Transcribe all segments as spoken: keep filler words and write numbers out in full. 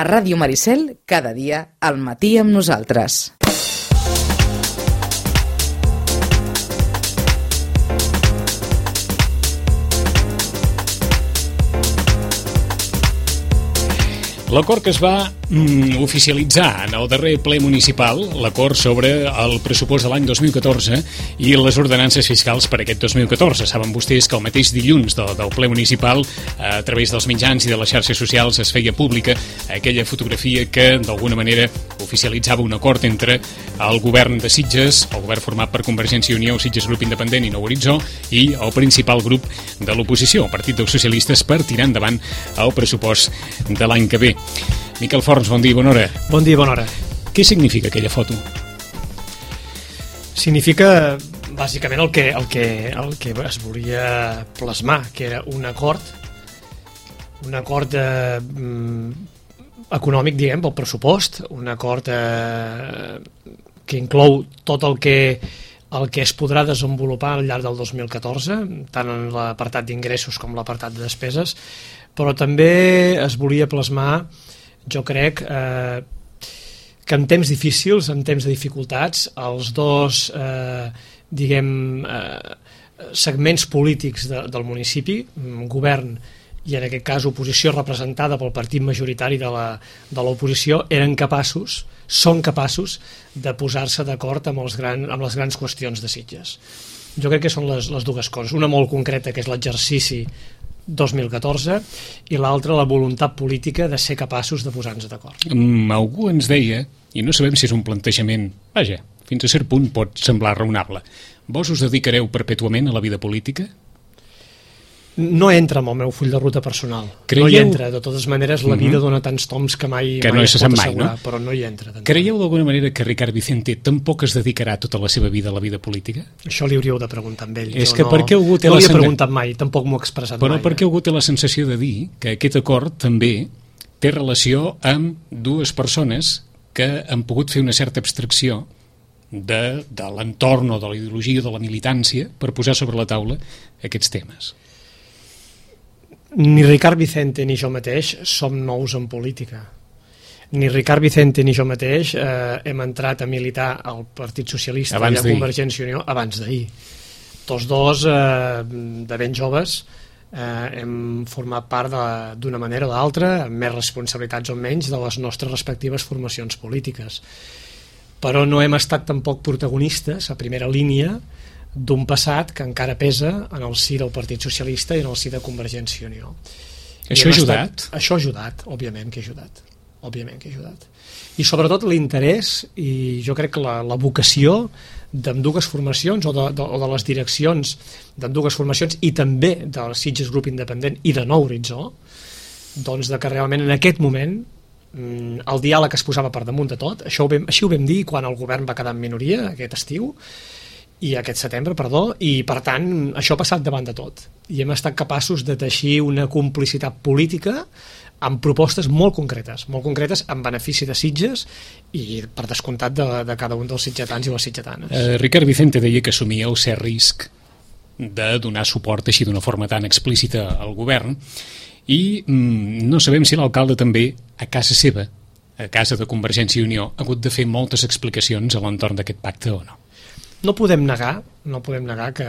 A Ràdio Maricel, cada dia, al matí amb nosaltres. L'acord que es va mm, oficialitzar en el darrer ple municipal, l'acord sobre el pressupost de l'any dos mil catorze i les ordenances fiscals per aquest dos mil catorze. Saben vostès que el mateix dilluns del, del ple municipal, a través dels mitjans i de les xarxes socials, es feia pública aquella fotografia que d'alguna manera oficialitzava un acord entre el govern de Sitges, el govern format per Convergència i Unió, Sitges Grup Independent i Nou Horitzó, i el principal grup de l'oposició, el Partit dels Socialistes, per tirar endavant el pressupost de l'any que ve. Miquel Forns, bon dia i bona hora. Bon dia i bona hora. Què significa aquella foto? Significa bàsicament el que, el que, el que es volia plasmar, que era un acord, un acord eh, econòmic, diguem, pel pressupost, un acord eh, que inclou tot el que, el que es podrà desenvolupar al llarg del dos mil catorze, tant en l'apartat d'ingressos com l'apartat de despeses, però també es volia plasmar, jo crec, eh, que en temps difícils, en temps de dificultats, els dos eh, diguem, eh, segments polítics de, del municipi, govern i en aquest cas oposició representada pel partit majoritari de la, de l'oposició, eren capaços, són capaços de posar-se d'acord amb, els gran, amb les grans qüestions de Sitges. Jo crec que són les, les dues coses, una molt concreta, que és l'exercici dos mil catorze, i l'altra la voluntat política de ser capaços de posar-nos d'acord. Mm, algú ens deia, i no sabem si és un plantejament, vaja, fins a cert punt pot semblar raonable, vos us dedicareu perpètuament a la vida política? No entra amb el meu full de ruta personal. Creieu... No hi entra. De totes maneres, la vida uh-huh. dona tants toms que mai, que mai no es pot mai, assegurar, no? Però no hi entra. Creieu d'alguna manera que Ricard Vicente tampoc es dedicarà tota la seva vida a la vida política? Això li hauríeu de preguntar amb ell. És jo que no, per què algú té no la li he sen... preguntat mai, tampoc m'ho he expressat però mai. Però per què eh? algú té la sensació de dir que aquest acord també té relació amb dues persones que han pogut fer una certa abstracció de, de l'entorn o de la ideologia o de la militància per posar sobre la taula aquests temes? Ni Ricard Vicente ni jo mateix som nous en política. Ni Ricard Vicente ni jo mateix eh, hem entrat a militar al Partit Socialista i a Convergència i Unió abans d'ahir. Tots dos, eh, de ben joves, eh, hem format part d'una manera o d'altra, amb més responsabilitats o menys, de les nostres respectives formacions polítiques. Però no hem estat tampoc protagonistes a primera línia d'un passat que encara pesa en el si del Partit Socialista i en el si de Convergència i Unió. Això ha ajudat? Estat, això ha ajudat, òbviament que ha ajudat. Òbviament que ha ajudat. I sobretot l'interès i jo crec que la, la vocació d'ambdues formacions o de, de, o de les direccions d'ambdues formacions i també del Sitges Grup Independent i de Nou Horitzó, doncs de que realment en aquest moment el diàleg es posava per damunt de tot. Això ho vam, així ho vam dir quan el govern va quedar en minoria aquest estiu i aquest setembre, perdó, i per tant això ha passat davant de tot i hem estat capaços de teixir una complicitat política amb propostes molt concretes, molt concretes en benefici de Sitges i per descomptat de, de cada un dels sitgetans i les sitgetanes. Eh, Ricard Vicente deia que assumia el cert risc de donar suport així d'una forma tan explícita al govern i mm, no sabem si l'alcalde també a casa seva, a casa de Convergència i Unió, ha hagut de fer moltes explicacions a l'entorn d'aquest pacte o no? No podem negar, no podem negar que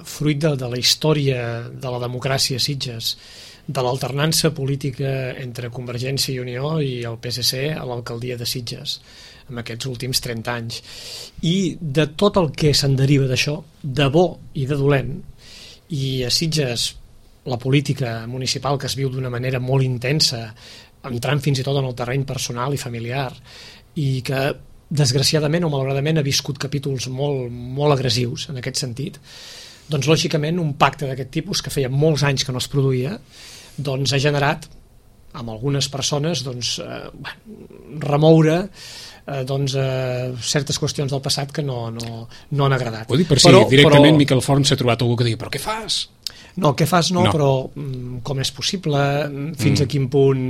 fruit de, de la història de la democràcia a Sitges, de l'alternança política entre Convergència i Unió i el P S C a l'alcaldia de Sitges en aquests últims trenta anys i de tot el que se'n deriva d'això, de bo i de dolent, i a Sitges la política municipal que es viu d'una manera molt intensa, entrant fins i tot en el terreny personal i familiar, i que desgraciadament o malauradament ha viscut capítols molt, molt agressius en aquest sentit, doncs lògicament un pacte d'aquest tipus que feia molts anys que no es produïa doncs ha generat amb algunes persones doncs, eh, remoure eh, doncs, eh, certes qüestions del passat que no, no, no han agradat. Ho dic per si però, directament però... Miquel Forns s'ha trobat algú que digui però què fas? No, què fas no, no. Però com és possible, fins mm. a quin punt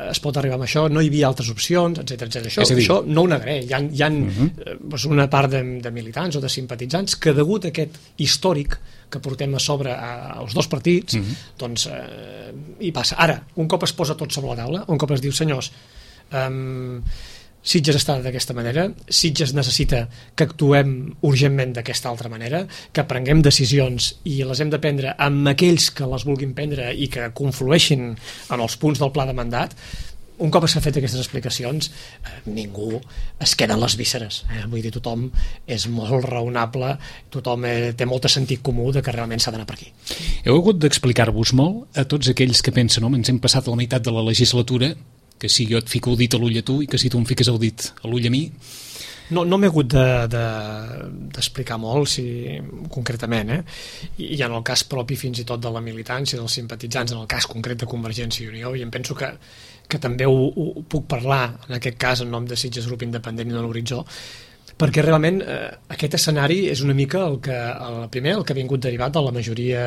es pot arribar amb això, no hi havia altres opcions, etcètera etcètera. Això, dir... això no ho negaré. Hi ha, hi ha mm-hmm. doncs una part de, de militants o de simpatitzants que degut a aquest històric que portem a sobre a, als dos partits, mm-hmm. doncs eh, hi passa. Ara, un cop es posa tot sobre la taula, un cop es diu senyors, Um, Sitges està d'aquesta manera, Sitges necessita que actuem urgentment d'aquesta altra manera, que prenguem decisions i les hem de prendre amb aquells que les vulguin prendre i que conflueixin en els punts del pla de mandat. Un cop s'han fet aquestes explicacions, eh, ningú es queda en les vísceres. Eh? Vull dir, tothom és molt raonable, tothom eh, té molt de sentit comú de que realment s'ha d'anar per aquí. Heu hagut d'explicar-vos molt a tots aquells que pensen, no, ens hem passat la meitat de la legislatura, que si jo et fico el dit a l'ull a tu i que si tu em fiques el dit a l'ull a mi. No, no m'he hagut d'explicar de, de, molt, si, concretament, eh? I, i en el cas propi fins i tot de la militància, dels simpatitzants, en el cas concret de Convergència i Unió, i em penso que, que també ho, ho puc parlar, en aquest cas, en nom de Sitges Grup Independent i de l'Horitzó, perquè realment eh, aquest escenari és una mica el que, el primer, el que ha vingut derivat de la majoria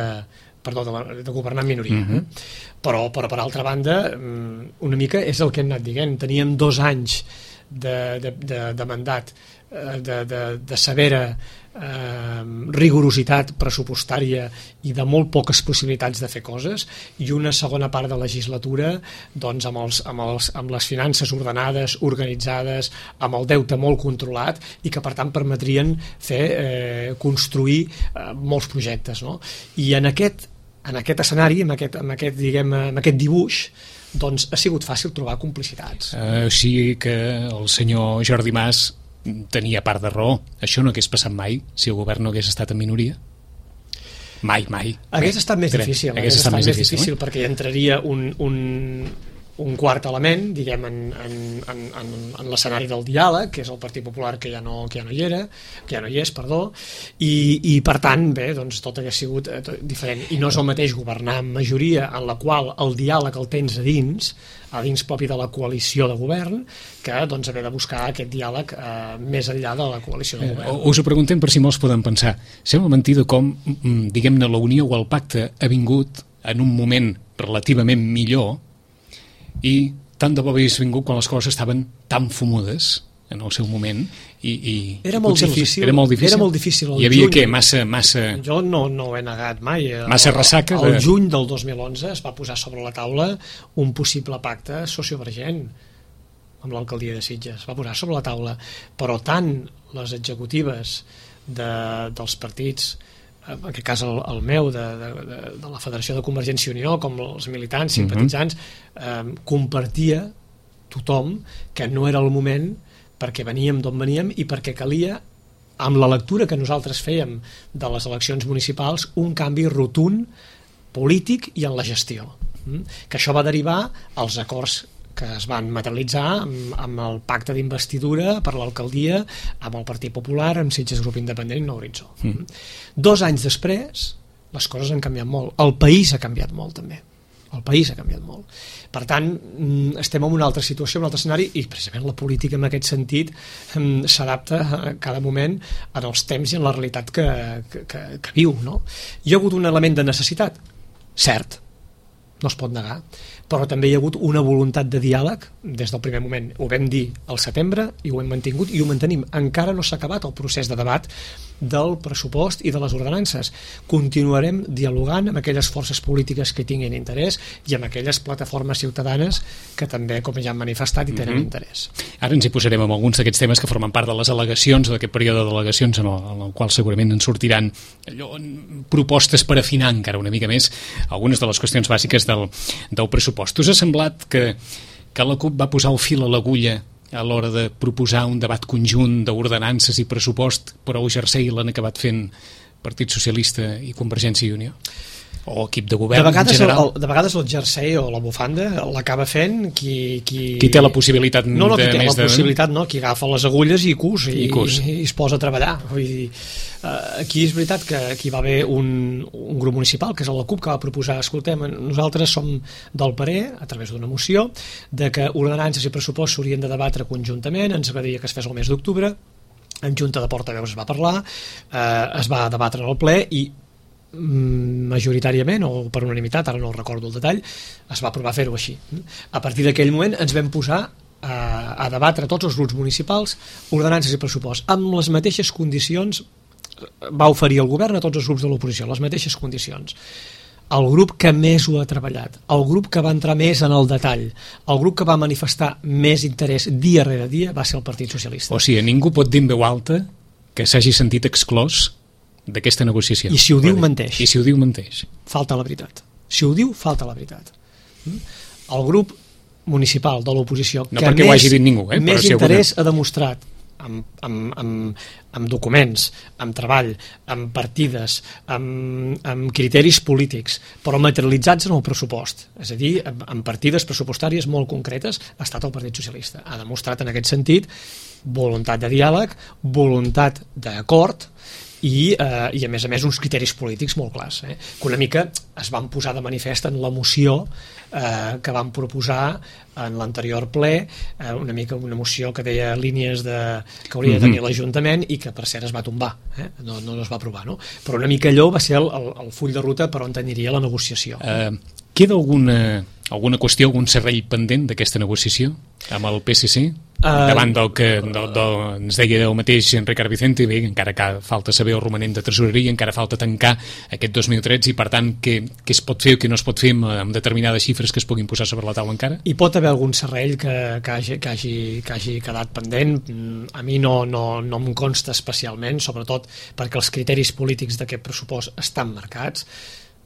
perdó, de, la, de governar en minoria. Uh-huh. eh? Però, però, per altra banda, una mica és el que hem anat dient. Teníem dos anys de, de, de, de mandat, de, de, de severa eh, rigorositat pressupostària i de molt poques possibilitats de fer coses, i una segona part de legislatura doncs, amb, els, amb, els, amb les finances ordenades, organitzades, amb el deute molt controlat, i que per tant permetrien fer, eh, construir eh, molts projectes, no? I en aquest en aquest escenari, en aquest, en aquest, diguem, en aquest dibuix, doncs ha sigut fàcil trobar complicitats. Uh, o sigui que el senyor Jordi Mas tenia part de raó. Això no hagués passat mai si el govern no hagués estat en minoria? Mai, mai. Hagués estat més difícil, hagués estat més difícil, difícil perquè hi entraria un, un, un quart element, diguem, en, en, en, en, en l'escenari del diàleg, que és el Partit Popular, que ja no, que ja no hi era, que ja no hi és, perdó, i, i per tant, bé, doncs tot hagués sigut eh, tot diferent. I no és el mateix governar amb majoria en la qual el diàleg el tens a dins, a dins propi de la coalició de govern, que doncs haver de buscar aquest diàleg eh, més enllà de la coalició de govern. Eh, us ho preguntem per si molts poden pensar. Sembla mentida com, diguem-ne, la Unió o el pacte ha vingut en un moment relativament millor, i tant de bo hagués vingut quan les coses estaven tan fumudes en el seu moment, i, i era molt difícil, era molt difícil, era molt difícil hi havia juny, què? Massa, massa... Jo no, no ho he negat mai. Massa ressaca el, de... el juny del dos mil onze es va posar sobre la taula un possible pacte sociovergent amb l'alcaldia de Sitges, es va posar sobre la taula, però tant les executives de, dels partits, en aquest cas el, el meu, de, de, de, de la Federació de Convergència i Unió, com els militants, simpatitzants, uh-huh. eh, compartia tothom que no era el moment, perquè veníem d'on veníem i perquè calia, amb la lectura que nosaltres fèiem de les eleccions municipals, un canvi rotund polític i en la gestió. Mm? Que això va derivar als acords que es van materialitzar amb, amb el pacte d'investidura per l'alcaldia, amb el Partit Popular, amb Sitges Grup Independent i Nou Horitzó. Mm. Dos anys després, les coses han canviat molt. El país ha canviat molt, també. El país ha canviat molt. Per tant, estem en una altra situació, en un altre escenari, i precisament la política en aquest sentit s'adapta a cada moment en els temps i en la realitat que, que, que, que viu, no? Hi ha hagut un element de necessitat, cert, no es pot negar, però també hi ha hagut una voluntat de diàleg des del primer moment. Ho vam dir al setembre i ho hem mantingut i ho mantenim. Encara no s'ha acabat el procés de debat del pressupost i de les ordenances. Continuarem dialogant amb aquelles forces polítiques que tinguin interès i amb aquelles plataformes ciutadanes que també, com ja han manifestat, hi tenen mm-hmm. interès. Ara ens hi posarem amb alguns d'aquests temes que formen part de les al·legacions, d'aquest període d'al·legacions en el, en el qual segurament en sortiran allò, propostes per afinar encara una mica més algunes de les qüestions bàsiques del, del pressupost. Us ha semblat que, que la CUP va posar el fil a l'agulla a l'hora de proposar un debat conjunt d'ordenances i pressupost, però el jersei l'han acabat fent Partit Socialista i Convergència i Unió? O equip de govern de vegades, en general? El, de vegades el jersei o la bufanda l'acaba fent qui, qui... qui té la possibilitat no, no, de qui té més la de... possibilitat, no, qui agafa les agulles i cus i, I, cus. i, i es posa a treballar. Vull dir, aquí és veritat que aquí va haver un, un grup municipal, que és la CUP, que va proposar, escoltem, nosaltres som del parer, a través d'una moció, de que ordenances i pressupost s'haurien de debatre conjuntament, ens agradaria que es fes el mes d'octubre, en junta de portaveus es va parlar, eh, es va debatre en el ple i majoritàriament o per unanimitat, ara no recordo el detall, es va aprovar fer-ho així. A partir d'aquell moment ens vam posar a, a debatre tots els grups municipals ordenances i pressupost amb les mateixes condicions, va oferir el govern a tots els grups de l'oposició les mateixes condicions. el grup que més ho ha treballat, el grup que va entrar més en el detall, el grup que va manifestar més interès dia rere dia va ser el Partit Socialista. O sigui, ningú pot dir en veu alta que s'hagi sentit exclòs d'aquesta negociació. I si ho diu, menteix. I si ho diu, menteix. Falta la veritat. Si ho diu, falta la veritat. El grup municipal de l'oposició no que perquè més, ho hagi dit ningú, eh? més si interès alguna... ha demostrat amb, amb, amb, amb documents, amb treball, amb partides, amb, amb criteris polítics, però materialitzats en el pressupost, és a dir, amb, amb partides pressupostàries molt concretes, ha estat el Partit Socialista. Ha demostrat en aquest sentit voluntat de diàleg, voluntat d'acord, i, eh, i a més a més uns criteris polítics molt clars, eh? Que una mica es van posar de manifest en la moció eh, que van proposar en l'anterior ple, eh, una mica una moció que deia línies de, que hauria de tenir l'Ajuntament i que per cert es va tombar, eh? no, no es va aprovar, no? Però una mica allò va ser el, el, el full de ruta per on aniria la negociació. Uh, queda alguna, alguna qüestió, algun serrell pendent d'aquesta negociació amb el P S C? Uh, davant del que del, del, ens deia el mateix Ricard Vicente, bé, encara que falta saber el romanent de tresoreria, encara falta tancar aquest dos mil tretze i per tant què, què es pot fer o què no es pot fer amb, amb determinades xifres que es puguin posar sobre la taula encara? Hi pot haver algun serrell que, que, hagi, que, hagi, que hagi quedat pendent. A mi no, no, no em consta especialment, sobretot perquè els criteris polítics d'aquest pressupost estan marcats.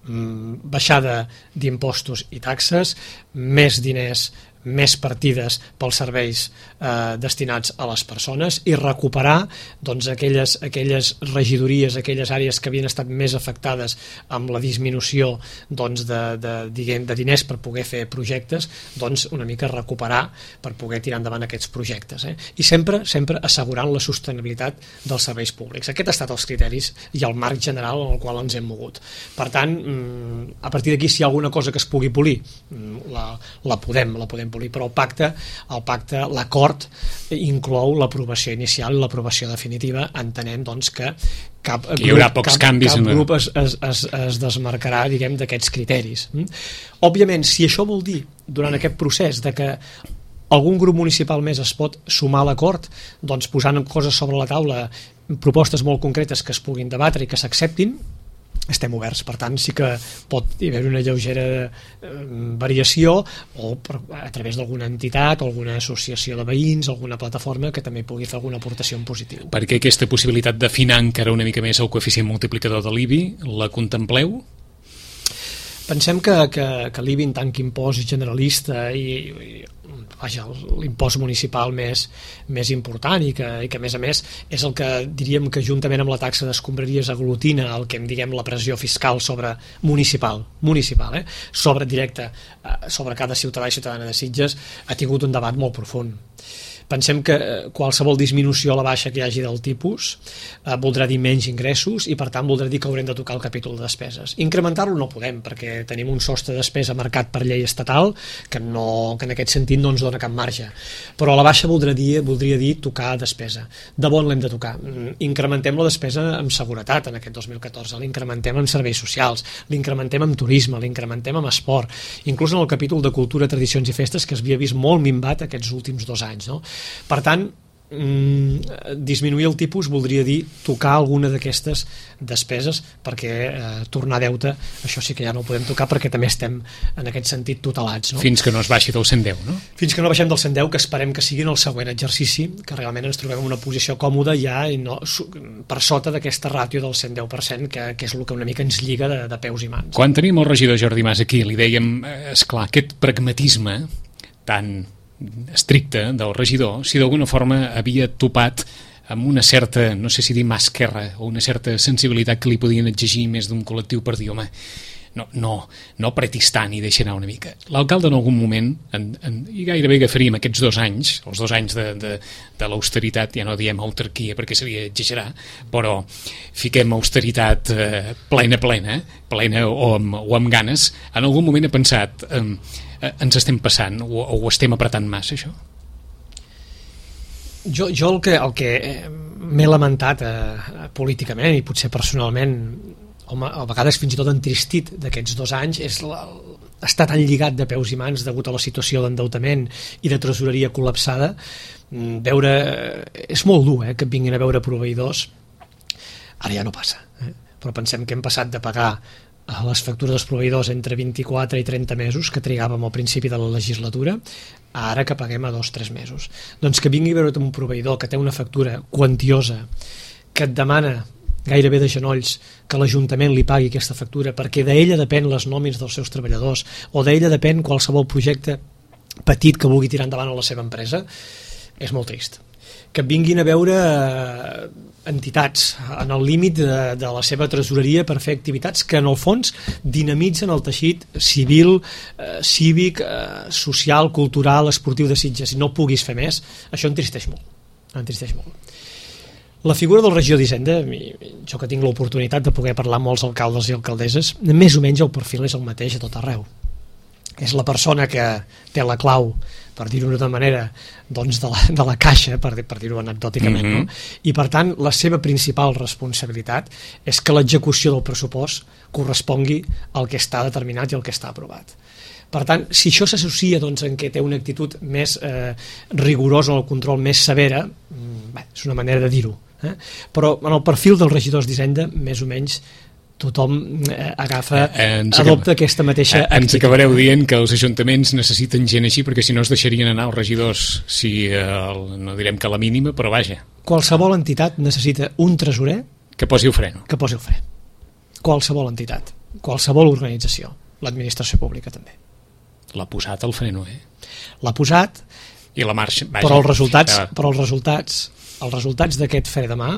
Baixada d'impostos i taxes, més diners, més partides pels serveis eh, destinats a les persones i recuperar doncs, aquelles, aquelles regidories, aquelles àrees que havien estat més afectades amb la disminució doncs, de, de, diguem, de diners per poder fer projectes, doncs una mica recuperar per poder tirar endavant aquests projectes. Eh? I sempre, sempre assegurant la sostenibilitat dels serveis públics. Aquest ha estat els criteris i el marc general en el qual ens hem mogut. Per tant, a partir d'aquí, si hi ha alguna cosa que es pugui polir, la, la podem, la podem polir, però el pacte, el pacte, l'acord inclou l'aprovació inicial i l'aprovació definitiva, entenent doncs que cap que hi haurà grup, pocs cap, canvis cap en... grup es, es, es, es desmarcarà, diguem, d'aquests criteris. Òbviament, si això vol dir, durant aquest procés, de que algun grup municipal més es pot sumar a l'acord, doncs posant coses sobre la taula, propostes molt concretes que es puguin debatre i que s'acceptin, estem oberts. Per tant, sí que pot haver una lleugera eh, variació o per, a través d'alguna entitat o alguna associació de veïns, alguna plataforma que també pugui fer alguna aportació en positiu. Per què aquesta possibilitat d'afinar encara una mica més el coeficient multiplicador de l'I B I la contempleu? Pensem que, que, que l'I B I en tant que impost generalista i, i vaja, l'impost municipal més, més important i que, i que a més a més és el que diríem que juntament amb la taxa d'escombraries aglutina el que en diguem la pressió fiscal sobre municipal, municipal eh? sobre directe sobre cada ciutadà i ciutadana de Sitges, ha tingut un debat molt profund. Pensem que qualsevol disminució a la baixa que hi hagi del tipus eh, voldrà dir menys ingressos i per tant voldrà dir que haurem de tocar el capítol de despeses. Incrementar-lo no podem perquè tenim un sostre de despesa marcat per llei estatal que, no, que en aquest sentit no ens dona cap marge, però a la baixa voldrà dir, voldria dir tocar despesa. De bon l'hem de tocar. Incrementem la despesa en seguretat en aquest dos mil catorze, l'incrementem en serveis socials, l'incrementem en turisme, l'incrementem en esport, inclús en el capítol de cultura, tradicions i festes que es havia vist molt minvat aquests últims dos anys, no? Per tant, mm, disminuir el tipus voldria dir tocar alguna d'aquestes despeses perquè eh, tornar a deute, això sí que ja no ho podem tocar perquè també estem en aquest sentit tutelats. No? Fins que no es baixi del cent deu, no? Fins que no baixem del cent deu, que esperem que sigui en el següent exercici, que realment ens trobem en una posició còmoda ja i no, per sota d'aquesta ràtio del cent deu per cent, que, que és el que una mica ens lliga de, de peus i mans. Quan tenim el regidor Jordi Mas aquí, li dèiem, esclar, aquest pragmatisme tan estricte del regidor, si d'alguna forma havia topat amb una certa, no sé si dir mà esquerra, o una certa sensibilitat que li podien exigir més d'un col·lectiu per dir, home, no, no, no apretis tant i deixa anar una mica. L'alcalde en algun moment, en, en, i gairebé agafaríem aquests dos anys, els dos anys de, de, de l'austeritat, ja no diem autarquia perquè seria exagerar, però fiquem austeritat eh, plena, plena, plena o amb, o amb ganes, en algun moment he pensat... Eh, ens estem passant o, o ho estem apretant massa, això? Jo, jo el que, el que m'he lamentat eh, políticament i potser personalment, home, a vegades fins i tot entristit d'aquests dos anys, és la, estar tan lligat de peus i mans degut a la situació d'endeutament i de tresoreria col·lapsada. Veure, és molt dur eh, que vinguin a veure proveïdors, ara ja no passa, eh? Però pensem que hem passat de pagar a les factures dels proveïdors entre vint-i-quatre i trenta mesos que trigàvem al principi de la legislatura, ara que paguem a dos o tres mesos. Doncs que vingui a veure't un proveïdor que té una factura quantiosa, que et demana gairebé de genolls que l'Ajuntament li pagui aquesta factura perquè d'ella depèn les nòmines dels seus treballadors o d'ella depèn qualsevol projecte petit que vulgui tirar endavant a la seva empresa, és molt trist. Que vinguin a veure entitats en el límit de, de la seva tresoreria per fer activitats que en el fons dinamitzen el teixit civil, eh, cívic, eh, social, cultural, esportiu de Sitges. Si no puguis fer més, això entristeix molt. Entristeix molt. La figura del regidor d'Hisenda, jo que tinc l'oportunitat de poder parlar amb molts alcaldes i alcaldesses, més o menys el perfil és el mateix a tot arreu. És la persona que té la clau, per dir-ho d'una manera, doncs de, la, de la caixa, per, per dir-ho anecdòticament, mm-hmm. no? I per tant la seva principal responsabilitat és que l'execució del pressupost correspongui al que està determinat i al que està aprovat. Per tant, si això s'associa doncs, en què té una actitud més eh, rigorosa o el control més severa, bé, és una manera de dir-ho. Eh? Però en el perfil dels regidors d'Hisenda, més o menys, tothom eh, agafa, eh, adopta aquesta mateixa eh, actitud. Ens acabareu dient que els ajuntaments necessiten gent així perquè si no es deixarien anar els regidors, si eh, el, no direm que la mínima, però vaja. Qualsevol entitat necessita un tresorer que posi el freno. Que posi el fre. Qualsevol entitat, qualsevol organització, l'administració pública també. L'ha posat el freno, eh? L'ha posat, i la marxa, vaja, però els resultats, ja... però els resultats, els resultats d'aquest fre de mà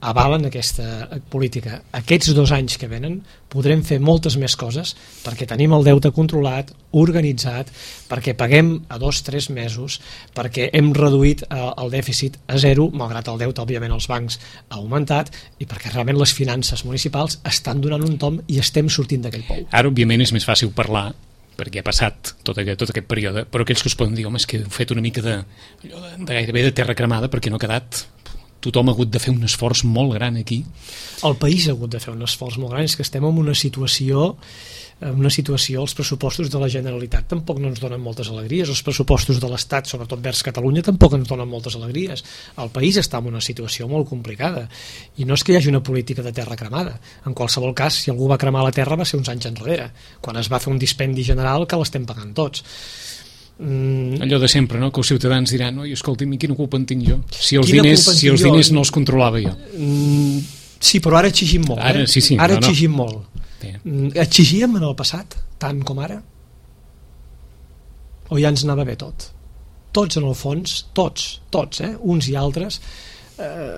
avalen aquesta política. Aquests dos anys que venen podrem fer moltes més coses perquè tenim el deute controlat, organitzat, perquè paguem a dos o tres mesos, perquè hem reduït el dèficit a zero, malgrat el deute, òbviament, als bancs ha augmentat, i perquè realment les finances municipals estan donant un tom i estem sortint d'aquell pou. Ara, òbviament, és més fàcil parlar perquè ha passat tot aquest, tot aquest període, però aquells que us poden dir, home, és que heu fet una mica de, de, de gairebé de terra cremada perquè no ha quedat... Tothom ha hagut de fer un esforç molt gran aquí. El país ha hagut de fer un esforç molt gran, és que estem en una situació, en una situació, els pressupostos de la Generalitat tampoc no ens donen moltes alegries, els pressupostos de l'Estat, sobretot vers Catalunya, tampoc ens donen moltes alegries. El país està en una situació molt complicada, i no és que hi hagi una política de terra cremada. En qualsevol cas, si algú va cremar la terra va ser uns anys enrere, quan es va fer un dispendi general que l'estem pagant tots. Mm. Allò de sempre, no? Que els ciutadans diran, oi, escolti'm, quina culpa en tinc jo? Si els quina diners, si els diners no els controlava jo. Mm, sí, però ara exigim molt. Ara, eh? sí, sí, ara no, exigim no. molt. Mm, exigíem en el passat, tant com ara? O ja ens anava bé tot? Tots, en el fons, tots, tots, eh? Uns i altres, eh,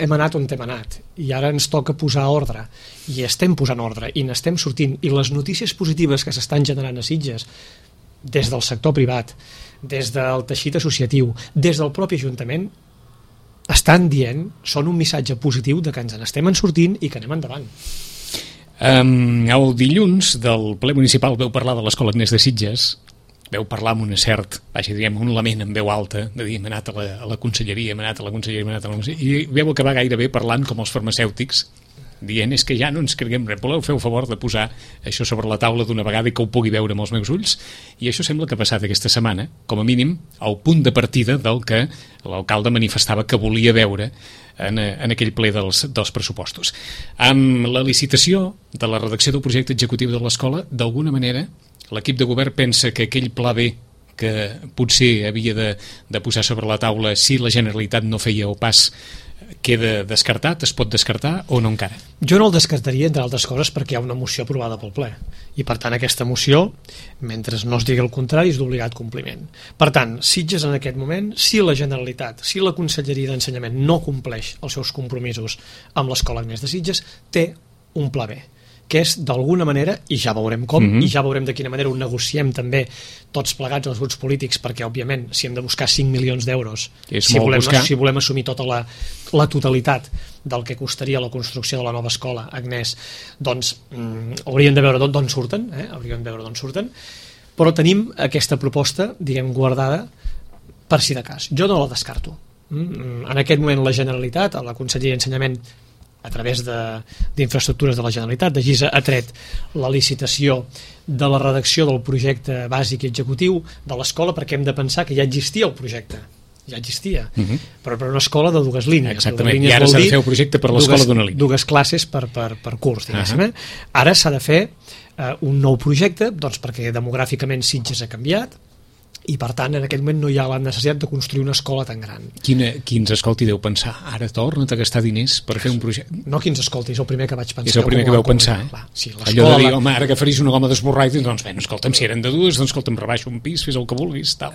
hem anat on hem anat, i ara ens toca posar ordre, i estem posant ordre, i n'estem sortint, i les notícies positives que s'estan generant a Sitges, des del sector privat, des del teixit associatiu, des del propi Ajuntament, estan dient, són un missatge positiu de que ens n'estem en sortint i que anem endavant. Um, el dilluns del ple municipal veu parlar de l'Escola Agnès de Sitges, veu parlar amb un cert, vaja, diguem, un lament en veu alta, de dir, hem anat a la, a la conselleria, hem anat a la conselleria, hem anat a la conselleria, i veu acabar gairebé parlant com els farmacèutics, dient, és que ja no ens creguem res, voleu fer el favor de posar això sobre la taula d'una vegada i que ho pugui veure amb els meus ulls, i això sembla que ha passat aquesta setmana, com a mínim al punt de partida del que l'alcalde manifestava que volia veure en, en aquell ple dels, dels pressupostos. Amb la licitació de la redacció del projecte executiu de l'escola, d'alguna manera l'equip de govern pensa que aquell pla B que potser havia de, de posar sobre la taula si la Generalitat no feia el pas queda descartat, es pot descartar o no encara? Jo no el descartaria, entre altres coses, perquè hi ha una moció aprovada pel ple, i per tant aquesta moció, mentre no es digui el contrari, és d'obligat compliment. Per tant, Sitges en aquest moment, si la Generalitat, si la Conselleria d'Ensenyament no compleix els seus compromisos amb l'Escola Agnès de Sitges, té un pla B, que és d'alguna manera, i ja veurem com, mm-hmm. i ja veurem de quina manera ho negociem també tots plegats els grups polítics, perquè òbviament si hem de buscar cinc milions d'euros, si volem, si volem assumir tota la, la totalitat del que costaria la construcció de la nova escola Agnès, doncs mm, hauríem de veure d'on surten, eh? hauríem de veure d'on surten, però tenim aquesta proposta, diguem, guardada per si de cas. Jo no la descarto. Mm, en aquest moment la Generalitat, la Conselleria d'Ensenyament, a través d'infraestructures de, de la Generalitat, de GISA, ha tret la licitació de la redacció del projecte bàsic i executiu de l'escola, perquè hem de pensar que ja existia el projecte ja existia, uh -huh. però per una escola de dues línies. Exactament, línies i ara s'ha de fer un projecte per l'escola d'una línia. Dues classes per, per, per curs, diguéssim. Uh -huh. eh? Ara s'ha de fer eh, un nou projecte, doncs perquè demogràficament Sitges ha canviat, i per tant en aquell moment no hi ha la necessitat de construir una escola tan gran. Quina, qui ens escolti deu pensar, ara torna't a gastar diners per fer un projecte? No qui ens escolti, és el primer que vaig pensar. És el primer que vau pensar, eh? Clar, sí, allò de dir, home, ara que faris una goma d'esborrar i dius, doncs bé, no, escolta'm, si eren de dues, doncs escolta'm, rebaixo un pis, fes el que vulguis, tal.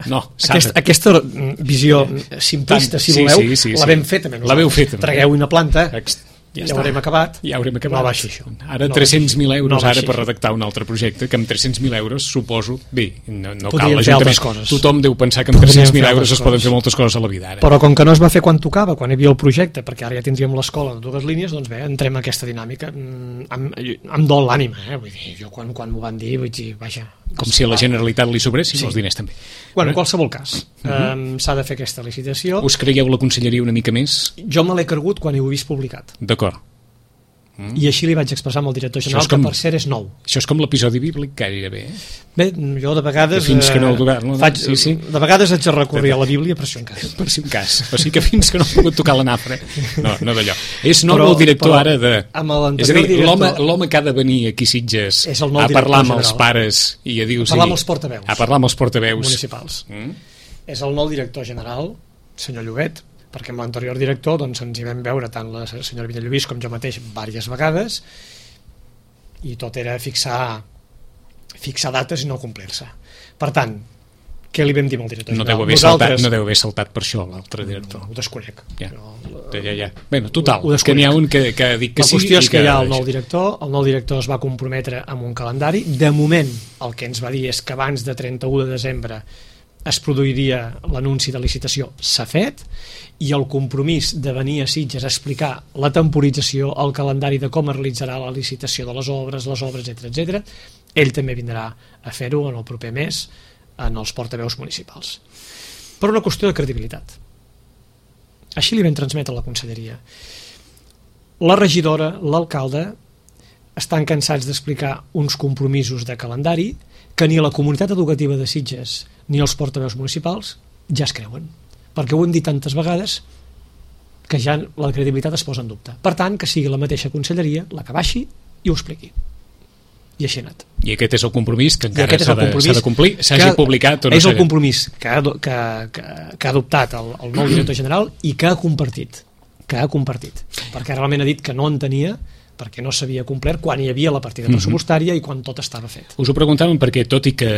No, Aquest, aquesta visió simplista, si sí, voleu, sí, sí, la sí. vam fer també nosaltres. La veu fer també. Tragueu una planta, Ext ja, ja haurem acabat. Ja haurem acabat. No baixi això. Ara no tres-cents mil euros no ara per redactar un altre projecte, que amb tres-cents mil euros suposo, bé, no, no cal fer altres coses. Tothom deu pensar que amb tres-cents mil euros es poden fer moltes coses a la vida ara. Però com que no es va fer quan tocava, quan hi havia el projecte, perquè ara ja tindríem l'escola de dues línies, doncs bé, entrem en aquesta dinàmica. Em, em dol l'ànima, eh? Vull dir, jo quan, quan m'ho van dir, vull dir, vaja... Com si a la Generalitat li sobressin sí. els diners també. Bueno, en qualsevol cas, uh -huh. um, s'ha de fer aquesta licitació. Us creieu la conselleria una mica més? Jo me l'he cregut quan ho he vist publicat. D'acord. Mm. I així li vaig expressar amb el director general, com, que per cert és nou. Això és com l'episodi bíblic gairebé, eh? Bé, jo de vegades... Que fins que no el govern... No? Faig, sí, sí. De vegades haig de recórrer a la Bíblia per si un cas. Per si un cas. O sigui que fins que no he pogut tocar la nafra. No, no d'allò. És nou el director però, ara de... És a dir, director... l'home que ha de venir aquí a Sitges a parlar amb general. els pares i a dir... A parlar amb els portaveus. A parlar amb els portaveus. Municipals. Mm? És el nou director general, senyor Llobet, perquè amb l'anterior director doncs, ens hi vam veure tant la senyora Villalluís com jo mateix diverses vegades i tot era fixar fixar dates i no complir-se. Per tant, què li vam dir al director no general? Deu haver Nosaltres... saltat, no deu haver saltat per això l'altre director. No, ho desconec. Ja, Però, ja, ja. Bé, total, ho, ho que n'hi ha un que, que ha dit que la sí. La qüestió és que, que hi ha el nou director, el nou director es va comprometre amb un calendari. De moment, el que ens va dir és que abans de trenta-u de desembre es produiria l'anunci de licitació, s'ha fet, i el compromís de venir a Sitges a explicar la temporització, el calendari de com es realitzarà la licitació de les obres, les obres, etcètera, etcètera, ell també vindrà a fer-ho en el proper mes en els portaveus municipals. Per una qüestió de credibilitat. Així li vam transmetre a la conselleria. La regidora, l'alcalde, estan cansats d'explicar uns compromisos de calendari que ni la comunitat educativa de Sitges ni els portaveus municipals ja es creuen, perquè ho hem dit tantes vegades que ja la credibilitat es posa en dubte. Per tant, que sigui la mateixa conselleria la que baixi i ho expliqui. I així ha anat. I aquest és el compromís que encara s'ha de, compromís de complir, s'hagi publicat o no. És el compromís que ha, que, que, que ha adoptat el, el nou director general i que ha compartit, que ha compartit, perquè realment ha dit que no en tenia, perquè no s'havia complert quan hi havia la partida pressupostària i quan tot estava fet. Us ho preguntàvem perquè, tot i que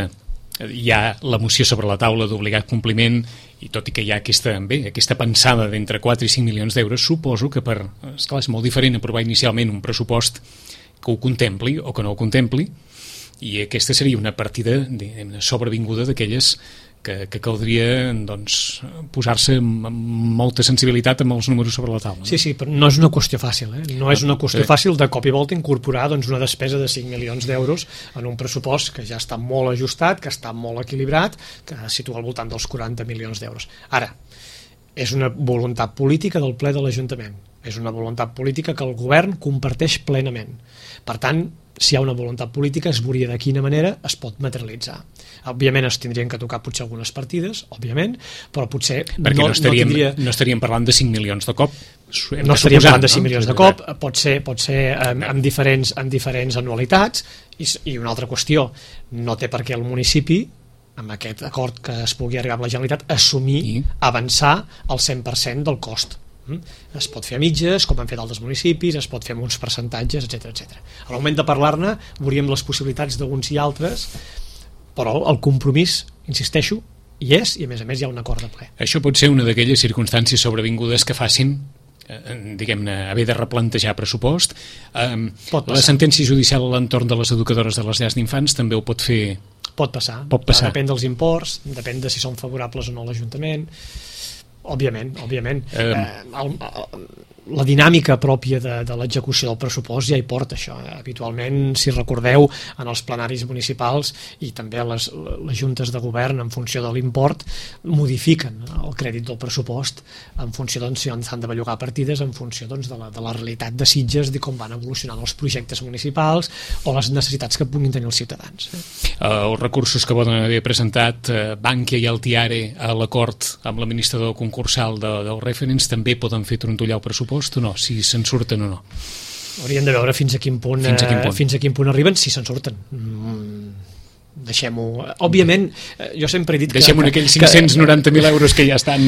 hi ha la moció sobre la taula d'obligat compliment i tot i que hi ha aquesta, bé, aquesta pensada d'entre quatre i cinc milions d'euros, suposo que per, esclar, és molt diferent aprovar inicialment un pressupost que ho contempli o que no ho contempli, i aquesta seria una partida sobrevinguda d'aquelles que, que caldria doncs, posar-se amb molta sensibilitat amb els números sobre la taula. Sí, sí, però no és una qüestió fàcil, eh? No és una qüestió fàcil de cop i volta incorporar doncs, una despesa de cinc milions d'euros en un pressupost que ja està molt ajustat, que està molt equilibrat, que situa al voltant dels quaranta milions d'euros. Ara, és una voluntat política del ple de l'Ajuntament, és una voluntat política que el govern comparteix plenament. Per tant, si hi ha una voluntat política es veuria de quina manera es pot materialitzar. Òbviament es tindrien que tocar potser algunes partides, òbviament, però potser perquè no, no, estaríem, no, tindria... no estaríem parlant de cinc milions de cop. Hem no estaríem parlant de cinc no? milions de cop, pot ser, pot ser amb, amb, diferents, amb diferents anualitats, i, i una altra qüestió, no té per què el municipi, amb aquest acord que es pugui arribar amb la Generalitat, assumir, I? avançar el cent per cent del cost. Es pot fer a mitges, com han fet altres municipis, es pot fer amb uns percentatges, etcètera, etcètera. Al moment de parlar-ne veuríem les possibilitats d'uns i altres, però el compromís, insisteixo, hi és, i a més a més hi ha un acord de ple. Això pot ser una d'aquelles circumstàncies sobrevingudes que facin eh, diguem-ne, haver de replantejar pressupost. Eh, la sentència judicial a l'entorn de les educadores de les llars d'infants també ho pot fer. Pot passar, pot passar. Depèn dels imports, depèn de si són favorables o no a l'Ajuntament. Òbviament, òbviament. Eh, el, el, la dinàmica pròpia de, de l'execució del pressupost ja hi porta això. Habitualment, si recordeu, en els plenaris municipals i també les, les juntes de govern, en funció de l'import, modifiquen el crèdit del pressupost en funció, doncs, si s'han de bellugar partides, en funció, doncs, de, la, de la realitat de Sitges, de com van evolucionant els projectes municipals o les necessitats que puguin tenir els ciutadans. Uh, els recursos que poden haver presentat uh, Bankia i Altiare a l'acord amb l'administrador concursal de, del Referents també poden fer trontollar el pressupost o no, si se'n surten o no? Hauríem de veure fins a quin punt, fins a quin punt, eh, fins a quin punt arriben, si se'n surten. Mm, deixem-ho. Òbviament, jo sempre he dit que... Deixem-ho en aquells cinc-cents noranta mil euros que ja estan...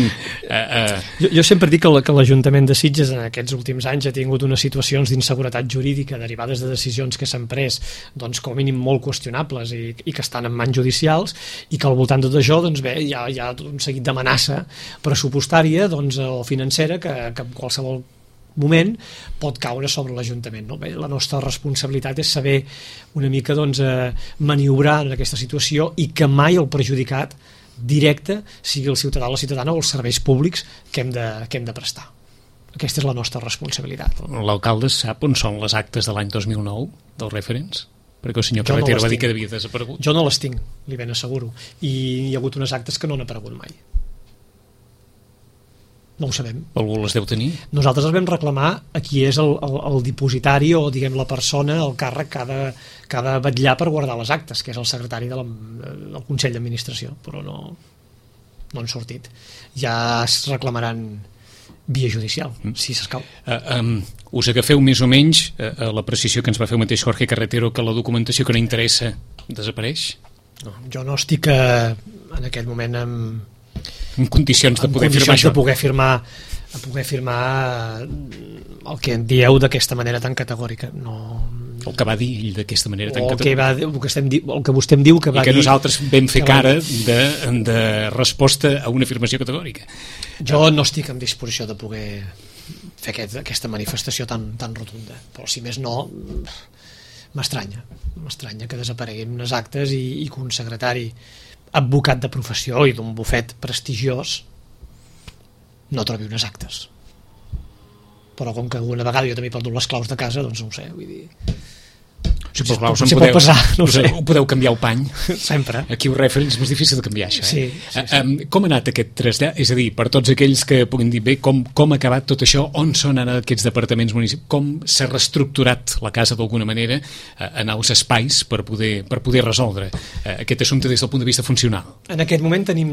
Eh, eh. Jo, jo sempre he dit que, la, que l'Ajuntament de Sitges en aquests últims anys ha tingut unes situacions d'inseguretat jurídica derivades de decisions que s'han pres, doncs, com a mínim molt qüestionables i, i que estan en mans judicials, i que al voltant de tot això, doncs, bé, hi ha, hi ha un seguit d'amenaça pressupostària, doncs, o financera que, que qualsevol moment pot caure sobre l'Ajuntament, no? Bé, la nostra responsabilitat és saber una mica, doncs, eh, maniobrar en aquesta situació i que mai el perjudicat directe sigui el ciutadà o la ciutadana o els serveis públics que hem de, que hem de prestar. Aquesta és la nostra responsabilitat. L'alcalde sap on són les actes de l'any dos mil nou dels Referents? Perquè el senyor Carretero va dir que havia desaparegut. Jo no les tinc, li ben asseguro. I hi ha hagut unes actes que no han aparegut mai. No ho sabem. Algú les deu tenir? Nosaltres els vam reclamar a qui és el, el, el dipositari o, diguem, la persona, el càrrec que ha, de, que ha de vetllar per guardar les actes, que és el secretari de la, del Consell d'Administració, però no, no han sortit. Ja es reclamaran via judicial, mm. si s'escau. Uh, um, us agafeu més o menys uh, a la precisió que ens va fer el mateix Jorge Carretero, que la documentació que no interessa desapareix? No, jo no estic eh, en aquest moment amb en condicions de poder condicions firmar això. De poder firmar, de poder firmar el que en dieu d'aquesta manera tan categòrica. No... El que va dir ell d'aquesta manera tan o categòrica. El que, va, el, que estem, el que vostè em diu que va I que dir... nosaltres vam fer va... cara de, de resposta a una afirmació categòrica. Jo no estic en disposició de poder fer aquest, aquesta manifestació tan, tan rotunda. Però si més no, m'estranya. M'estranya que desapareguin unes actes i, i que un secretari advocat de professió i d'un bufet prestigiós no trobi unes actes. Però com que una vegada jo també he perdut les claus de casa, doncs no ho sé, vull dir... Si per claus si podeu, pot passar, no ho sé. Ho podeu canviar el pany. Sempre. Aquí ho Referents és més difícil de canviar, això. Eh? Sí, sí, sí. Um, com ha anat aquest trasllat? És a dir, per tots aquells que puguin dir bé, com, com ha acabat tot això, on són ara aquests departaments municipals, com s'ha reestructurat la casa d'alguna manera uh, en els espais per poder, per poder resoldre uh, aquest assumpte des del punt de vista funcional? En aquest moment tenim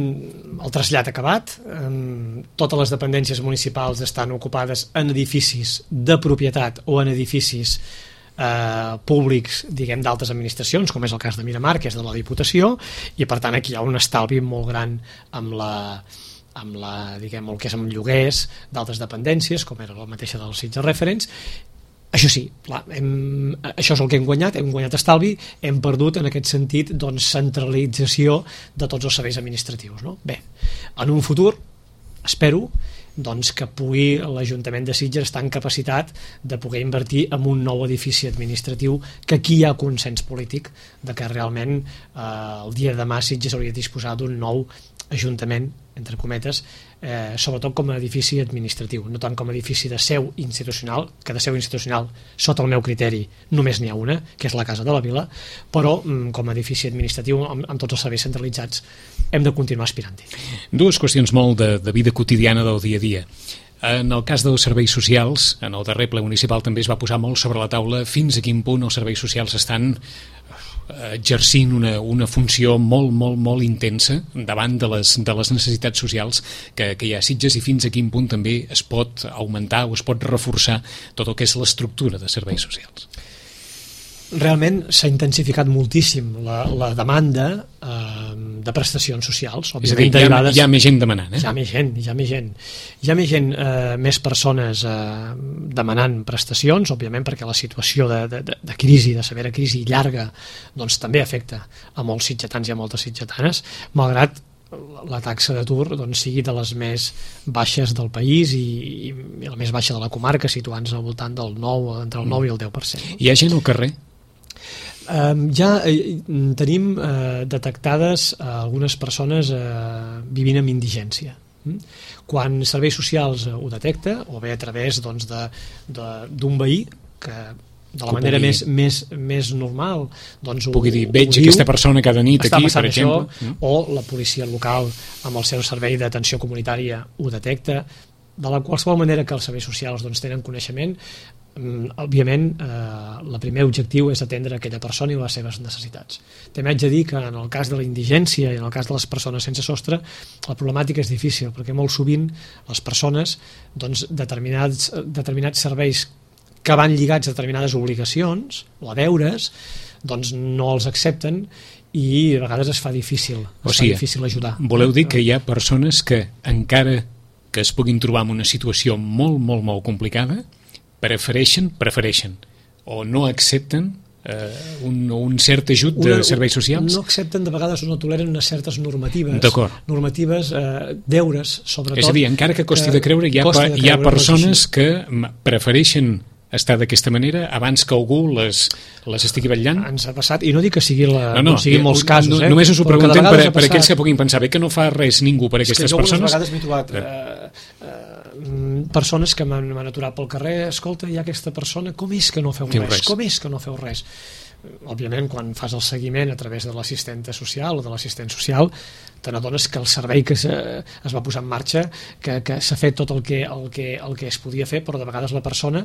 el trasllat acabat. Um, totes les dependències municipals estan ocupades en edificis de propietat o en edificis Eh, públics, diguem, d'altres administracions, com és el cas de Miramar, que és de la Diputació, i per tant aquí hi ha un estalvi molt gran amb la, amb la, diguem, el que és amb lloguers d'altres dependències, com era la mateixa dels Sitges Referents. Això sí, clar, hem, això és el que hem guanyat, hem guanyat estalvi, hem perdut en aquest sentit, doncs, centralització de tots els serveis administratius, no? Bé, en un futur espero doncs, que pugui l'Ajuntament de Sitges estar en capacitat de poder invertir en un nou edifici administratiu, que aquí hi ha consens polític de que realment eh, el dia de demà Sitges hauria de disposar d'un nou ajuntament, entre cometes, eh, sobretot com a edifici administratiu, no tant com a edifici de seu institucional, que de seu institucional, sota el meu criteri, només n'hi ha una, que és la Casa de la Vila, però mm, com a edifici administratiu, amb, amb tots els serveis centralitzats, hem de continuar aspirant-hi. Dues qüestions molt de, de vida quotidiana del dia a dia. En el cas dels serveis socials, en el darrer ple municipal també es va posar molt sobre la taula fins a quin punt els serveis socials estan exercint una, una funció molt, molt, molt intensa davant de les, de les necessitats socials que, que hi ha a Sitges, i fins a quin punt també es pot augmentar o es pot reforçar tot el que és l'estructura de serveis socials. Realment s'ha intensificat moltíssim la, la demanda eh, de prestacions socials. És a dir, hi ha, hi ha més gent demanant. Eh? Hi ha més gent, hi ha més gent. Hi ha més gent, eh, més persones eh, demanant prestacions, òbviament perquè la situació de, de, de crisi, de severa crisi llarga, doncs també afecta a molts sitgetans i a moltes sitgetanes, malgrat la taxa d'atur doncs, sigui de les més baixes del país i, i la més baixa de la comarca, situant-se al voltant del nou, entre el nou i el deu per cent. Hi ha gent al carrer? Uh, ja eh, tenim uh, detectades uh, algunes persones uh, vivint amb indigència. Quan serveis socials ho detecta, o bé a través doncs, de, de, d'un veí que de la que manera pugui, més, més, més normal doncs pugui ho, dir, veig ho aquesta diu, persona cada nit aquí, per exemple, això, mm. o la policia local amb el seu servei d'atenció comunitària ho detecta. De la qualsevol manera que els serveis socials doncs, tenen coneixement, òbviament eh, el primer objectiu és atendre aquella persona i les seves necessitats. També haig de dir que en el cas de la indigència i en el cas de les persones sense sostre la problemàtica és difícil, perquè molt sovint les persones doncs, determinats, determinats serveis que van lligats a determinades obligacions o a deures, doncs no els accepten i a vegades es fa difícil, es o sigui, fa difícil ajudar. Voleu dir que hi ha persones que encara que es puguin trobar en una situació molt, molt, molt complicada, prefereixen, prefereixen o no accepten eh, un, un cert ajut de una, serveis socials? No accepten, de vegades no toleren unes certes normatives, normatives eh, deures, sobretot. És a dir, encara que costi de creure, hi ha, pa, de creure, hi ha persones que prefereixen estar d'aquesta manera abans que algú les, les estigui vetllant? Ens ha passat, i no dic que sigui la, no, no, no sigui molts casos, no, eh? Només us ho preguntem per, per aquells que puguin pensar bé que no fa res ningú per aquestes persones. És que jo persones. vegades m'he trobat eh, eh, persones que m'han aturat pel carrer, escolta, hi ha aquesta persona, com és que no feu res? res? Com és que no feu res? Òbviament, quan fas el seguiment a través de l'assistenta social o de l'assistent social, te n'adones que el servei que es va posar en marxa, que, que s'ha fet tot el que, el, que, el que es podia fer, però de vegades la persona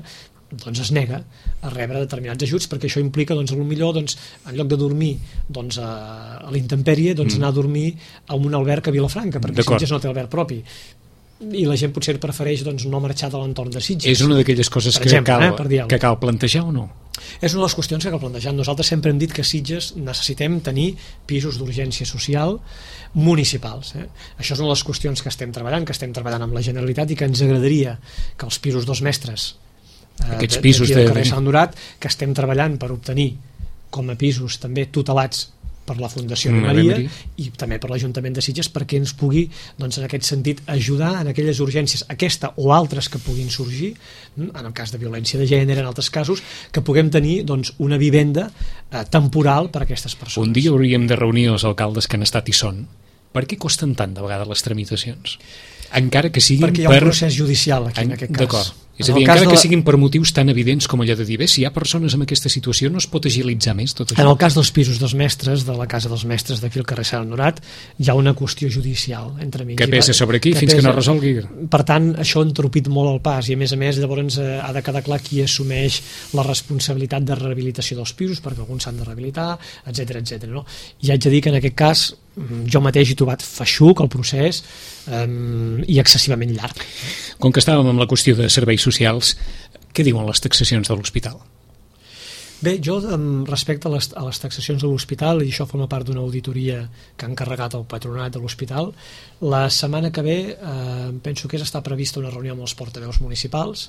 doncs, es nega a rebre determinats ajuts, perquè això implica, doncs, potser doncs, en lloc de dormir doncs, a, a l'intempèrie, doncs, mm. anar a dormir a un alberg a Vilafranca, perquè Sitges no té alberg propi. I la gent potser prefereix doncs, no marxar de l'entorn de Sitges. És una d'aquelles coses que, exemple, cal, eh, que cal plantejar o no? És una de les qüestions que cal plantejar. Nosaltres sempre hem dit que a Sitges necessitem tenir pisos d'urgència social municipals. Eh? Això és una de les qüestions que estem treballant, que estem treballant amb la Generalitat i que ens agradaria que els pisos dos mestres eh, aquests pisos d'aquí de... del carrer Sant Durat, que estem treballant per obtenir com a pisos també tutelats per la Fundació de Maria i també per l'Ajuntament de Sitges, perquè ens pugui, doncs, en aquest sentit, ajudar en aquelles urgències, aquesta o altres que puguin sorgir, en el cas de violència de gènere, en altres casos, que puguem tenir doncs, una vivenda eh, temporal per a aquestes persones. Un dia hauríem de reunir els alcaldes que han estat i són. Per què costen tant de vegades les tramitacions? Encara que siguin perquè hi ha un per... procés judicial aquí en, en aquest cas. D'acord. És a dir, encara que la... siguin per motius tan evidents com allò de dir, bé, si hi ha persones en aquesta situació no es pot agilitzar més tot això. En el cas dels pisos dels mestres, de la casa dels mestres d'aquí al carrer Sant Honorat, hi ha una qüestió judicial entre mig. Que pesa sobre aquí que fins pesa... que no resolgui. Per tant, això ha entropit molt el pas i a més a més llavors eh, ha de quedar clar qui assumeix la responsabilitat de rehabilitació dels pisos, perquè alguns s'han de rehabilitar, etcètera, etcètera. No? I haig de dir que en aquest cas jo mateix he trobat feixuc el procés eh, i excessivament llarg. Com que estàvem amb la qüestió de serveis socials, què diuen les taxacions de l'hospital? Bé, jo respecte a les, a les taxacions de l'hospital, i això forma part d'una auditoria que ha encarregat el patronat de l'hospital, la setmana que ve eh, penso que és està prevista una reunió amb els portaveus municipals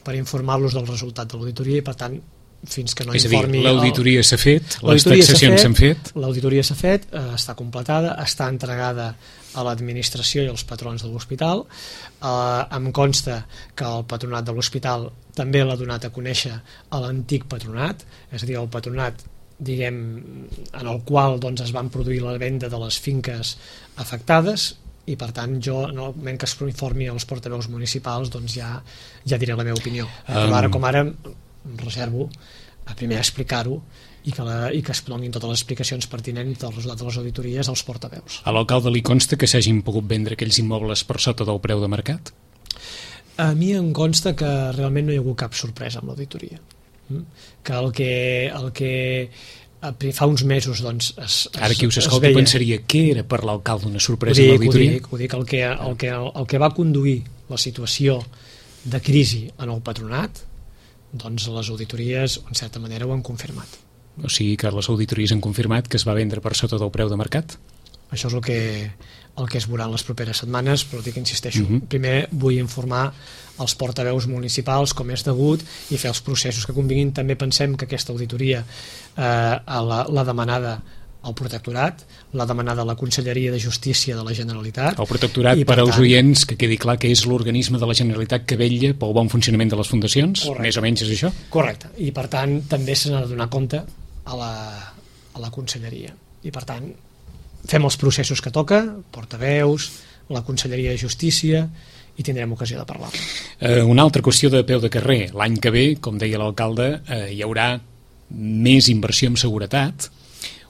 per informar-los del resultat de l'auditoria i per tant fins que no és informi... És a dir, l'auditoria s'ha fet, les taxacions s'han fet... L'auditoria s'ha fet, eh, està completada, està entregada a l'administració i als patrons de l'hospital. Eh, em consta que el patronat de l'hospital també l'ha donat a conèixer a l'antic patronat, és a dir, el patronat diguem, en el qual doncs, es van produir la venda de les finques afectades i per tant jo, en el moment que es informi als portaveus municipals, doncs ja, ja diré la meva opinió. Però um... ara com ara reservo a primer explicar-ho i que, la, i que es donin totes les explicacions pertinents del resultat de les auditories als portaveus. A l'alcalde li consta que s'hagin pogut vendre aquells immobles per sota del preu de mercat? A mi em consta que realment no hi ha hagut cap sorpresa amb l'auditoria. Que el que, el que fa uns mesos doncs, es, es, ara qui us escolta pensaria que era per l'alcalde una sorpresa amb l'auditoria? Ho dic, ho dic, el que, el, que, el que va conduir la situació de crisi en el patronat, doncs les auditories en certa manera ho han confirmat. O sigui que les auditories han confirmat que es va vendre per sota del preu de mercat? Això és el que, el que es veurà en les properes setmanes, però dic que insisteixo, uh-huh. primer vull informar els portaveus municipals com és degut i fer els processos que convinguin. També pensem que aquesta auditoria eh, l'ha demanada el Protectorat, l'ha demanada la Conselleria de Justícia de la Generalitat. El Protectorat, per, per als oients, que quedi clar que és l'organisme de la Generalitat que vetlla pel bon funcionament de les fundacions, correcte. Més o menys és això? Correcte, i per tant també se n'ha de donar compte a la, a la Conselleria. I per tant fem els processos que toca, portaveus, la Conselleria de Justícia, i tindrem ocasió de parlar. Eh, una altra qüestió de peu de carrer. L'any que ve, com deia l'alcalde, eh, hi haurà més inversió en seguretat.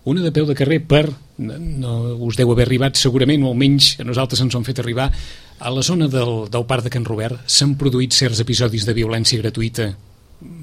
Una de peu de carrer per, no us deu haver arribat segurament, o almenys a nosaltres ens ho han fet arribar, a la zona del, del Parc de Can Robert s'han produït certs episodis de violència gratuïta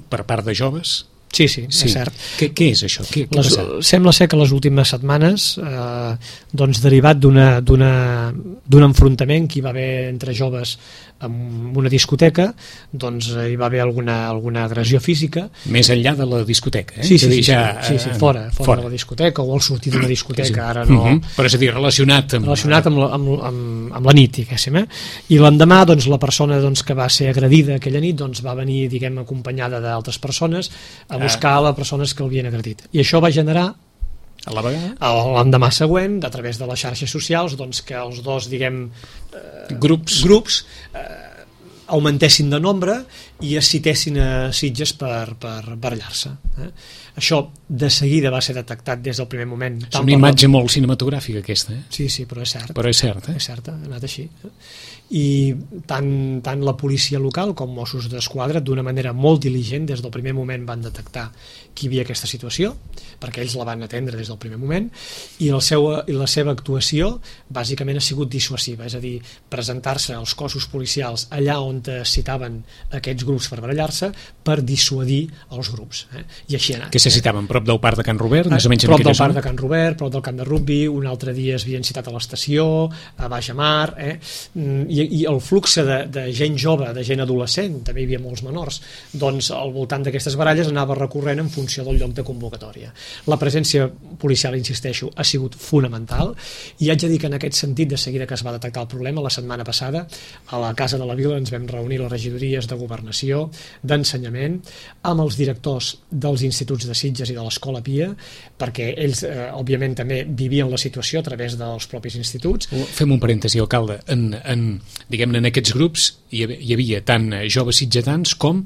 per part de joves? Sí, sí, sí, és cert. Què, què és això? Què, què les, sembla ser que les últimes setmanes, eh, doncs derivat d'una d'un enfrontament que hi va haver entre joves en una discoteca, doncs hi va haver alguna, alguna agressió física. Més enllà de la discoteca, eh? Sí, sí, sí, ja, sí, sí, sí, fora, fora, fora de la discoteca, o al sortir d'una discoteca, sí. Ara no... Uh -huh. Però és a dir, relacionat amb... Relacionat amb la, amb, amb, amb la nit, diguéssim, eh? I l'endemà, doncs, la persona doncs, que va ser agredida aquella nit, doncs, va venir, diguem, acompanyada d'altres persones a buscar ah. les persones que l'havien agredit. I això va generar a la vegada? L'endemà següent, a través de les xarxes socials, doncs, que els dos, diguem, eh, grups, grups eh, augmentessin de nombre i es citessin a Sitges per, per barallar-se. Eh? Això de seguida va ser detectat des del primer moment. És una imatge molt cinematogràfica aquesta, eh? Sí, sí, però és cert. Però és cert, eh? És cert, ha anat així. I tant, tant la policia local com Mossos d'Esquadra, d'una manera molt diligent, des del primer moment van detectar que hi havia aquesta situació, perquè ells la van atendre des del primer moment, i, el seu, i la seva actuació bàsicament ha sigut dissuasiva, és a dir, presentar-se als cossos policials allà on es citaven aquests grups per barallar-se per dissuadir els grups. Eh? I així ha anat. Que se citaven prop del Parc de Can Robert? Més o menys prop del zona? Parc de Can Robert, prop del camp de rugby, un altre dia es havien citat a l'estació, a Baix Amar, eh? I, i el flux de, de gent jove, de gent adolescent, també hi havia molts menors, doncs al voltant d'aquestes baralles anava recorrent en funció del lloc de convocatòria. La presència policial, insisteixo, ha sigut fonamental, i haig de dir que en aquest sentit, de seguida que es va detectar el problema, la setmana passada, a la Casa de la Vila ens vam reunir les regidories de Governació, d'Ensenyament, amb els directors dels instituts de Sitges i de l'Escola Pia, perquè ells, eh, òbviament, també vivien la situació a través dels propis instituts. Fem un parèntesi, alcalde. En, en, diguem-ne, en aquests grups hi havia, hi havia tant joves sitgetans com,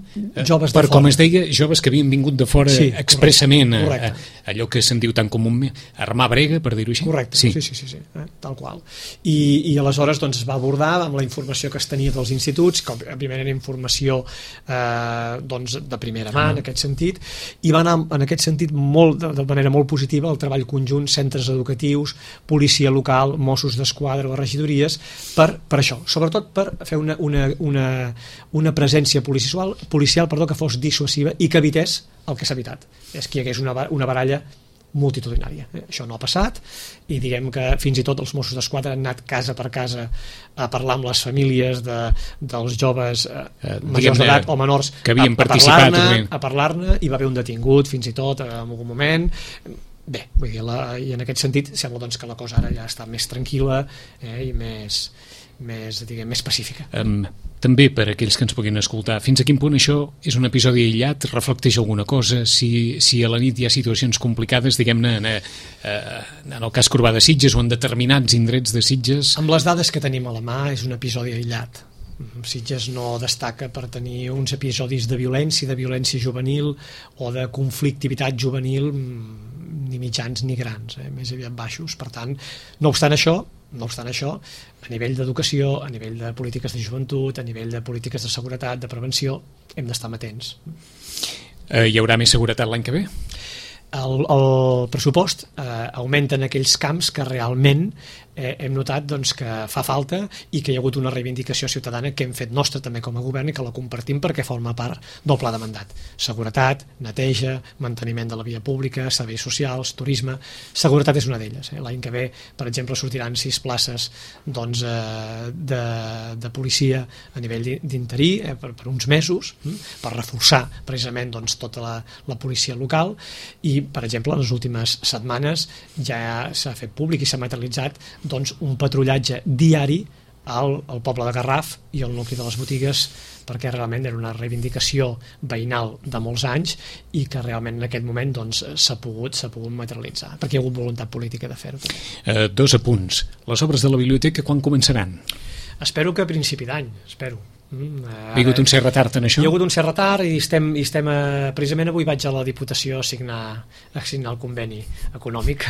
joves per de com fora. es deia, joves que havien vingut de fora, sí, expressament, correcte. A, a, allò que se'n diu tan comúment, armar brega, per dir-ho així. Correcte, sí, sí, sí, sí, sí eh? Tal qual. I, i aleshores doncs, es va abordar amb la informació que es tenia dels instituts, que òbviament era informació eh, doncs, de primera mà, ah. en aquest sentit, i va anar en aquest sentit molt, de, de manera molt positiva el treball conjunt, centres educatius, policia local, Mossos d'Esquadra, les regidories, per, per això, sobretot per fer una, una, una, una presència policial, policial perdó, que fos dissuasiva i que evités el que s'ha evitat, és que hi hagués una, una baralla multitudinària. Eh? Això no ha passat, i diguem que fins i tot els Mossos d'Esquadra han anat casa per casa a parlar amb les famílies de, dels joves eh, majors d'edat o menors que havien a, a participat parlar-ne, a parlar-ne, i va haver un detingut fins i tot en algun moment. Bé, vull dir, la, i en aquest sentit sembla doncs, que la cosa ara ja està més tranquil·la eh, i més, més, diguem, més pacífica. Um, també per a aquells que ens puguin escoltar, fins a quin punt això és un episodi aïllat, reflecteix alguna cosa, si, si a la nit hi ha situacions complicades, diguem-ne, en, en el cas Corbà de Sitges o en determinats indrets de Sitges? Amb les dades que tenim a la mà és un episodi aïllat. Sitges no destaca per tenir uns episodis de violència, de violència juvenil o de conflictivitat juvenil ni mitjans ni grans, eh? Més aviat baixos. Per tant, no obstant això, no obstant això, a nivell d'educació, a nivell de polítiques de joventut, a nivell de polítiques de seguretat, de prevenció, hem d'estar amatents. Eh, hi haurà més seguretat l'any que ve? El, el pressupost eh, augmenta en aquells camps que realment eh, hem notat doncs, que fa falta i que hi ha hagut una reivindicació ciutadana que hem fet nostra també com a govern i que la compartim perquè forma part del pla de mandat. Seguretat, neteja, manteniment de la via pública, serveis socials, turisme. Seguretat és una d'elles. Eh? L'any que ve, per exemple, sortiran sis places doncs, eh, de, de policia a nivell d'interí eh, per, per uns mesos eh, per reforçar precisament doncs, tota la, la policia local. I per exemple, en les últimes setmanes ja s'ha fet públic i s'ha materialitzat doncs, un patrullatge diari al, al poble de Garraf i al nucli de les botigues, perquè realment era una reivindicació veïnal de molts anys i que realment en aquest moment doncs, s'ha pogut, s'ha pogut materialitzar, perquè hi ha hagut voluntat política de fer-ho. Eh, dos apunts. Les obres de la biblioteca quan començaran? Espero que a principi d'any, espero. Mm, Hi ha hagut un cert retard en això? Hi ha hagut un cert retard i estem, i estem eh, precisament avui vaig a la Diputació a signar, a signar el conveni econòmic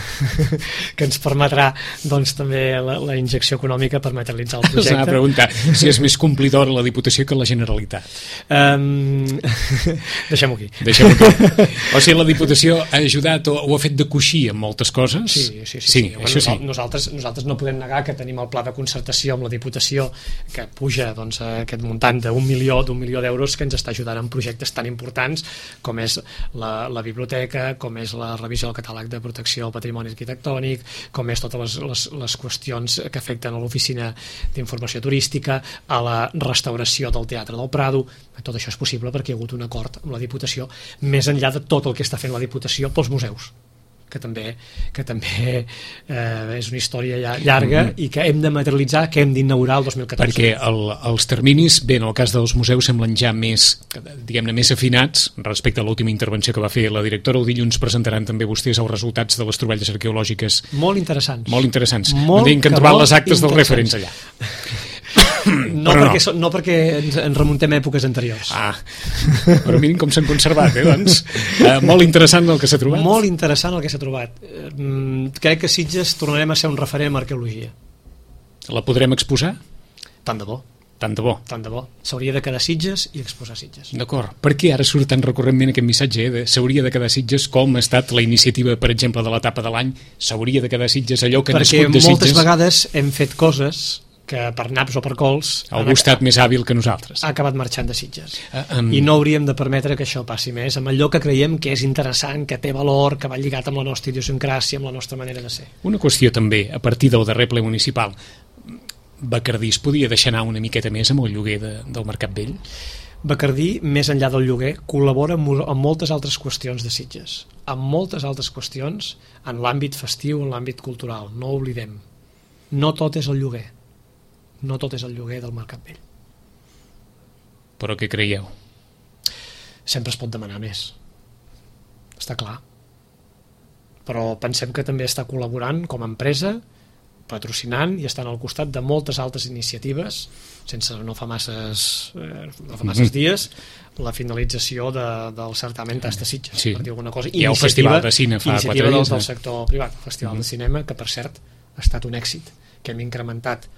que ens permetrà doncs, també la, la injecció econòmica per materialitzar el projecte. S'ha de preguntar si és més complidora la Diputació que la Generalitat. Um, Deixem-ho aquí. Deixem-ho aquí. O sigui, la Diputació ha ajudat o, o ha fet de coixí en moltes coses? Sí, sí, sí. sí, sí, sí. Bueno, això sí. Nosaltres, nosaltres no podem negar que tenim el pla de concertació amb la Diputació que puja doncs, a aquest muntant d'un milió d'un milió d'euros que ens està ajudant en projectes tan importants com és la, la biblioteca, com és la revisió del catàleg de protecció al patrimoni arquitectònic, com és totes les, les, les qüestions que afecten a l'oficina d'informació turística, a la restauració del Teatre del Prado. Tot això és possible perquè hi ha hagut un acord amb la Diputació, més enllà de tot el que està fent la Diputació pels museus, que també, que també eh, és una història ja llarga mm-hmm. i que hem de materialitzar, que hem d'inaugurar el dos mil catorze. Perquè el, els terminis, bé, en el cas dels museus semblen ja més, diguem-ne, més afinats respecte a l'última intervenció que va fer la directora. El dilluns presentaran també vostès els resultats de les troballes arqueològiques. Molt interessants. Molt interessants. Molt M'han que han trobat les actes dels referents allà. No perquè, no. no perquè ens, ens remuntem a èpoques anteriors. Ah, però mirin com s'han conservat, eh, doncs. Eh, molt interessant el que s'ha trobat. Molt interessant el que s'ha trobat. Mm, crec que Sitges tornarem a ser un referent en arqueologia. La podrem exposar? Tant de bo. Tant de bo. Tant de bo. S'hauria de quedar Sitges i exposar Sitges. D'acord. Per què ara surt tan recurrentment aquest missatge? Eh? S'hauria de quedar Sitges, com ha estat la iniciativa, per exemple, de l'etapa de l'any? S'hauria de quedar Sitges, allò que ha nascut de Sitges? Perquè moltes vegades hem fet coses que per naps o per cols algú ha estat més hàbil que nosaltres, ha acabat marxant de Sitges, uh, um... i no hauríem de permetre que això passi més amb allò que creiem que és interessant, que té valor, que va lligat amb la nostra idiosincràsia, amb la nostra manera de ser. Una qüestió també, a partir del darrer ple municipal, Bacardí es podia deixar anar una miqueta més amb el lloguer de, del Mercat Vell? Bacardí, més enllà del lloguer, col·labora amb, amb moltes altres qüestions de Sitges, amb moltes altres qüestions en l'àmbit festiu, en l'àmbit cultural, no ho oblidem. No tot és el lloguer. No tot és el lloguer del Mercat Vell. Però què creieu? Sempre es pot demanar més. Està clar. Però pensem que també està col·laborant com a empresa, patrocinant i estan al costat de moltes altres iniciatives, sense no fa masses, eh, no fa masses mm-hmm. dies, la finalització de, del certamen Tasta Sitges, sí. per dir alguna cosa. Hi ha el Festival de Cine fa quatre dies. Iniciativa del sector privat, el Festival mm-hmm. de Cinema, que per cert ha estat un èxit, que hem incrementat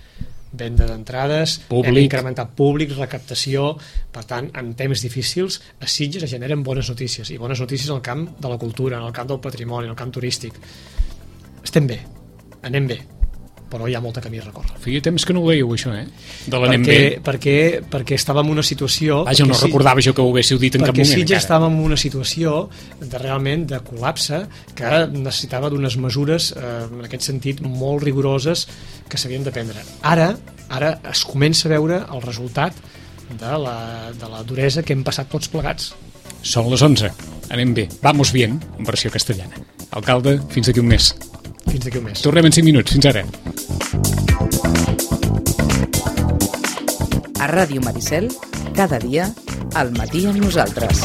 venda d'entrades, hem incrementat públic, recaptació. Per tant, en temps difícils a Sitges es generen bones notícies, i bones notícies en el camp de la cultura, en el camp del patrimoni, en el camp turístic. Estem bé, anem bé, però hi ha molt de camí a recórrer. Feia temps que no ho veieu, això, eh? De l'anem perquè, bé. Perquè, perquè estàvem en una situació... Vaja, no recordava jo que ho haguéssiu dit en cap moment. Perquè Sitges estàvem en una situació de realment de col·lapse que necessitava d'unes mesures, eh, en aquest sentit, molt rigoroses que s'havien de prendre. Ara, ara es comença a veure el resultat de la, de la duresa que hem passat tots plegats. Són les onze. Anem bé. Vamos bien, en versió castellana. Alcalde, fins d'aquí un mes. Fins d'aquí un mes. Tornem en cinc minuts. Fins ara. A Ràdio Maricel, cada dia, al matí amb nosaltres.